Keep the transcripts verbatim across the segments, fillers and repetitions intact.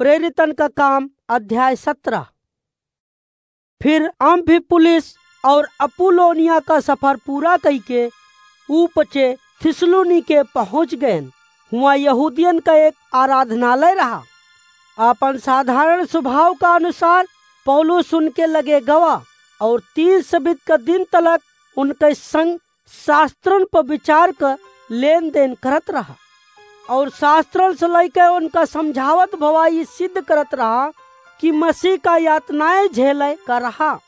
प्रेरितन का काम अध्याय सत्रह। फिर अम्फिपुलिस और अपुल्लोनिया का सफर पूरा कइके ऊ पचे थिस्सलुनीके पहुँच गएन। हुआँ यहूदियन का एक आराधनालय रहा। आपन साधारण स्वभाव का अनुसार पौलुस उनके लगे गवा और तीन सबित का दिन तलक उनके संग शास्त्रन पर विचार क लेन देन करत रहा। और शास्त्रन से लइके उनका समझावत भवा ई सिद्ध करत रहा कि मसीह का यातनाएँ झेले का रहा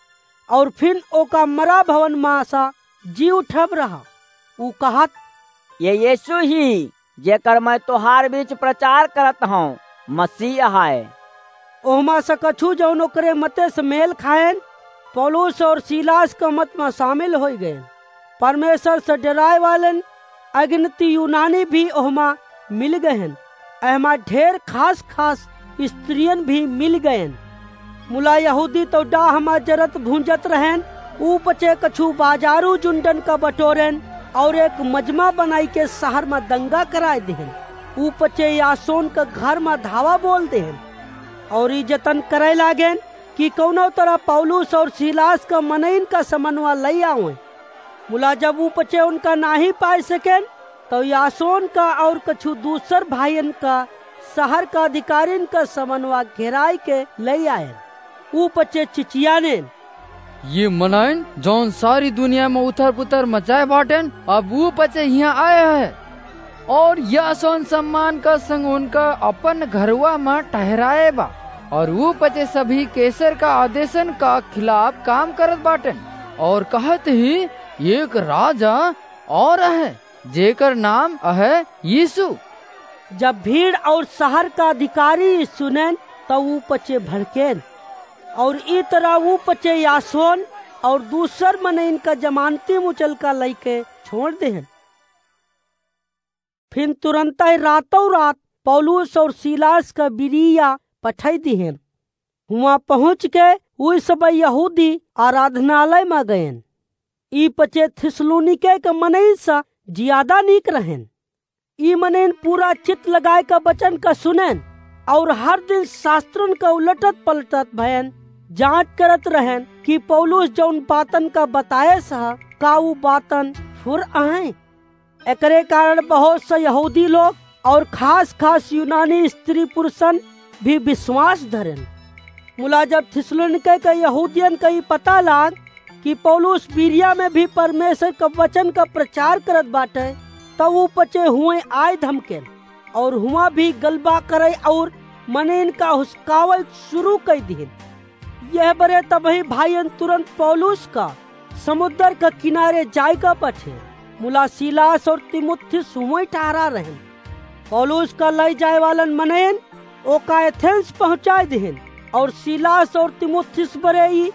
और फिन ओका मरा भवन मा सा जी उठब रहा। ऊ कहत, "ये यीशु ही, जेकर मैं तोहार बीच प्रचार करत हौं, मसीह है।" ओहमा से कछु जौन ओकरे मते से मेल खाएन, पौलुस और सीलास क मत मा शामिल होइ गएन। परमेश्वर से डेराए वालेन अगिनती यूनानी भी ओहमा मिल गएन। एहमा ढेर खास खास स्त्रियन भी मिल गएन। मुला यहूदी तो डाह मा जरत भूंजत रहेन। ऊ पचे कछु बाजारू जुंडन का बटोरेन और एक मजमा बनाइके शहर मा दंगा कराए देहेन। ऊ पचे यासोन का घर मा धावा बोल देहेन और ई जतन करे लागेन कि कौनो तरह पौलुस और सीलास का मनइन का समनवा लइ आवें। मुला जब ऊ पचे उनका नाहीं पाए सकेन, तो यासोन का और कछु दूसर भाइयन का शहर का अधिकारिन का समनवा घेराइके लइ आएन। ऊ पचे चिचियानेन, "ये मनइन जौन सारी दुनिया मा उथर पुथर मचाए बाटेन, अब ऊ पचे हियाँ आए हैं और यासोन सम्मान का संग उनका अपन घरवा मा ठहराए बा और ऊ पचे सभी कैसर का आदेशन का खिलाफ काम करत बाटेन और कहत ही एक राजा और है, जेकर नाम है यीशु।" जब भीड़ और शहर का अधिकारी ई सुनेन, तो ऊ पचे भड़केन और ई तरह ऊ पचे यासोन और दूसर मनइन का जमानती मुचलका लइके छोड़ देहेन। फिन तुरंतइ रातौ रात पौलुस और सीलास का बिरिया पठाई दिहेन। हुआँ पहुँच के ऊ सब यहूदी आराधनालय मा गएन। ई पचे थिस्सलुनीके के मनई सा जियादा नीक रहेन। ई मनइन पूरा चित्त लगाए का वचन का सुनेन और हर दिन शास्त्रन का उलटत पलटत भएन, जाँच करत रहेन कि पौलुस जौन बातन का बताए सा का ऊ बातन फुर अहैं। एकरे कारण बहुत सा यहूदी लोग और खास खास यूनानी स्त्री पुरुषन भी विश्वास धरेन। मुला जब थिस्सलुनीके के यहूदियन का ई पता लाग कि पौलुस बिरिया में भी परमेश्वर का वचन का प्रचार करत बाटे, तब ऊ पचे हुएँ आए धमकेन और हुआँ भी गलबा करे और मनइन का हुसकावल शुरू कइ दिहिन। यह बरे तबही भाइयन तुरंत पौलुस का समुद्र का किनारे जाए का पठे, मुला सीलास और तीमुथियुस हुएँ ठहरा रहेन। पौलुस का लइ जाए वालन मनइन ओका एथेंस पहुँचाए दिहिन और सीलास और तीमुथियुस बरे ई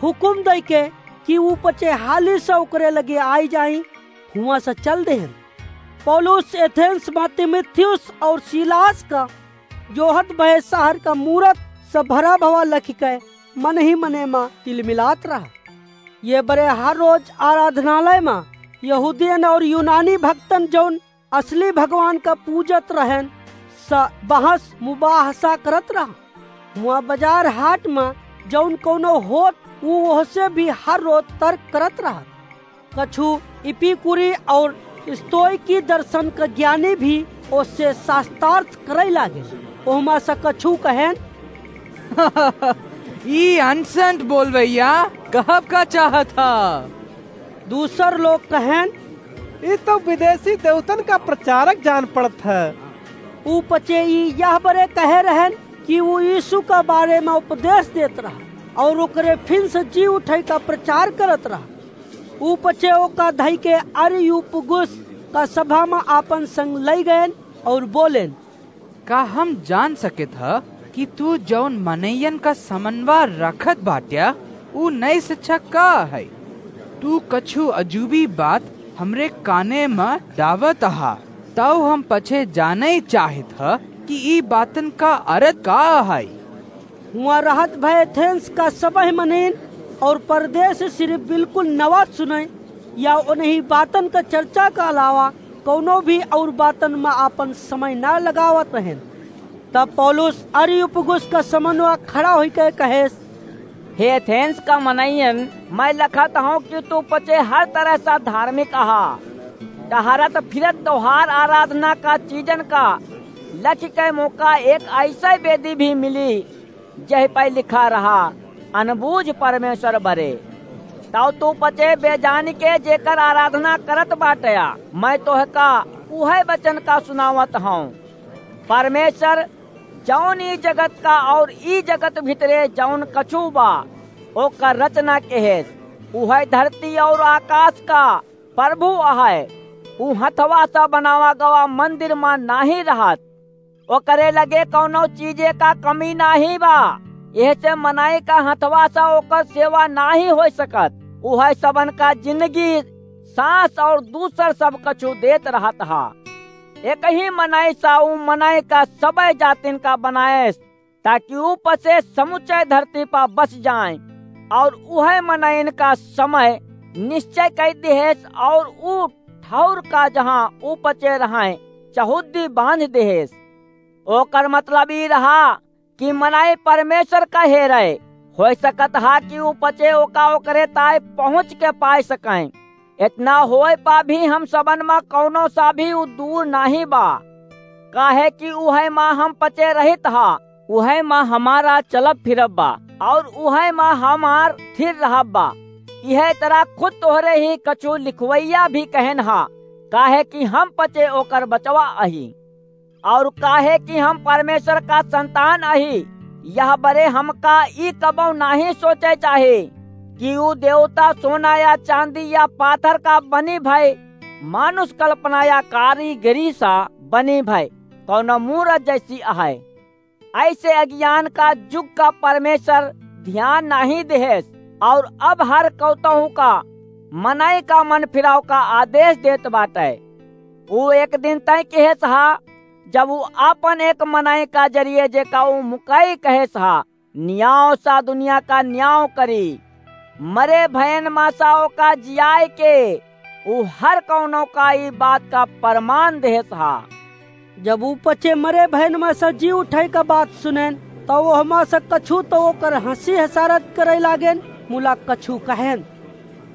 हुकुम दइके कि ऊ पचे हाली से ओकरे लगे आइ जाई, हुआँ से चल देहेन। पौलुस एथेंस मा तीमुथियुस और सीलास का जोहत भए शहर का मूरत से भरा भवा लखिके मनही मने मा तिलमिलात रहा। ये बरे हर रोज आराधनालय मा यहूदियन और यूनानी भक्तन जौन असली भगवान का पूजत रहेन, स बहस मुबाहसा करत रहा। हुआँ बजार हाट मा जौन कौनो होत, ऊ ओहसे भी हर रोज तर्क करत रहा। कछु इपिकुरी और स्तोइकी दर्शन का ज्ञानी भी ओसे शास्त्रार्थ करे लागे। ओहमा से कछु कहेन, "ई अनसंट बोलवैया कहब का चाहत ह?" दूसर लोग कहेन, "ई तो विदेशी देवतन का प्रचारक जान पड़त ह।" ऊ पचे ई यह बरे कहे रहेन कि ऊ यीशु का बारे मा उपदेश देत रहा और ओकरे फिन से जी उठे का प्रचार करत रहा। ऊ पचे ओका धइके अरियुपगुस का सभा मा आपन संग लइ गएन और बोलेन, "का हम जान सकेत ह कि तू जौन मनइयन का समनवा रखत बाट्या, ऊ नई शिक्षा का है? तू कछु अजूबी बात हमरे काने म डावत अहा, तउ हम पछे जानइ चाहित ह कि ई बातन का अरथ का है?" हुआँ रहत भए एथेंस का सबह मनीन और परदेस सिर्फ बिल्कुल नवा सुनइ या ओनही बातन का चर्चा का अलावा कउनो भी और बातन म आपन समय न लगावत रहेन। तब पौलुस अरियुपगुस का समनवा खड़ा होइके कहेस, हे एथेंस का मनइयन, मैं लखत हौं कि तू पचे हर तरह सा धार्मिक अहा। टहरत फिरत तोहार आराधना का चीजन का लखिके मोका एक अइसे बेदी भी मिली, जहि पै लिखा रहा, अनबूझ परमेश्वर बरे। तौ तू पचे बेजानिके जेकर आराधना करत बाटया, मैं तोहका उहै वचन का सुनावत हौं। परमेश्वर जौन ई जगत का और ई जगत भितरे जौन कछु बा, ओकर रचना केहेस, उहै धरती और आकाश का प्रभु अहै। ऊ हथवा सा बनावा गवा मंदिर मा नाहीं रहत। ओकरे लगे कौनो चीजे का कमी नाहीं बा। एहसे मनई का हथवा सा ओकर सेवा नाहीं होइ सकत। उहै सबन का जिंदगी, सांस और दूसर सब कछु देत रहत हा। एकही मनई सा ऊ मनई का सबै जातिन का बनाएस, ताकि ऊ पचे समुचे धरती पा बस जाएं। और उहै मनइन का समय निश्चय कइ दिहेस और ऊ ठौर का जहाँ ऊ पचे रहैं चहुद्दी बांध दिहेस। ओकर मतलब ई रहा कि मनई परमेश्वर का हेरै। होइ सकत हा कि ऊ पचे ओका ओकरे ताई पहुँच के पाए सकैं। एतना होए पा भी हम सबन मा कौनो सा भी ऊ दूर नाहीं बा, काहे कि उहै मा हम पचे रहित हा, उहै मा हमारा चलब फिरब बा, और उहै मा हमार थिर रहब बा। इहै तरह खुद तोहरे ही कछु लिखवैया भी कहेन हा, काहे कि हम पचे ओकर बचवा अही। और काहे कि हम परमेश्वर का संतान अही, यह बरे हमका ई कबौ नाहीं सोचे चाही कि ऊ देवता सोना या चांदी या पाथर का बनी भए, मानुष कल्पना या कारीगरी सा बनी भए, कौनो मूरत जैसी अहै। अइसे अज्ञान का जुग का परमेश्वर ध्यान नाहीं देहेस, और अब हर कौतहू का मनई का मन फिराव का आदेश देत बाटै। ऊ एक दिन तय केहेस हा, जब ऊ आपन एक मनई का जरिए जेका ऊ मुकई कहेस हा, नियाव सा दुनिया का नियाव करी। मरे भयन मा सा ओका जियाए के ऊ हर कौनो का ई बात का प्रमाण देहेस हा। जब ऊ पचे मरे भयन मा सा जी उठै का बात सुनेन, तौ ओहमा सा कछु तौ ओकर हँसी हसारत करै लागेन, मुला कछु कहेन।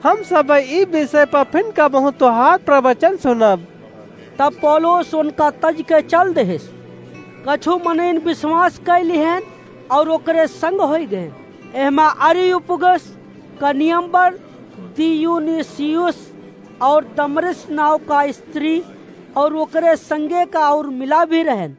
हम सब ई विषय पर फिन कबहूँ तोहार प्रवचन सुनब। तब पौलुस उनका तज के चल देहेस। कछु मनइन विश्वास कइ लिहेन और ओकरे संग होइ गएन। एहमा अरियुपगुस का नियमबर दियुनिसियुस और दमरिस नाव का स्त्री और ओकरे संगे का और मिला भी रहेन।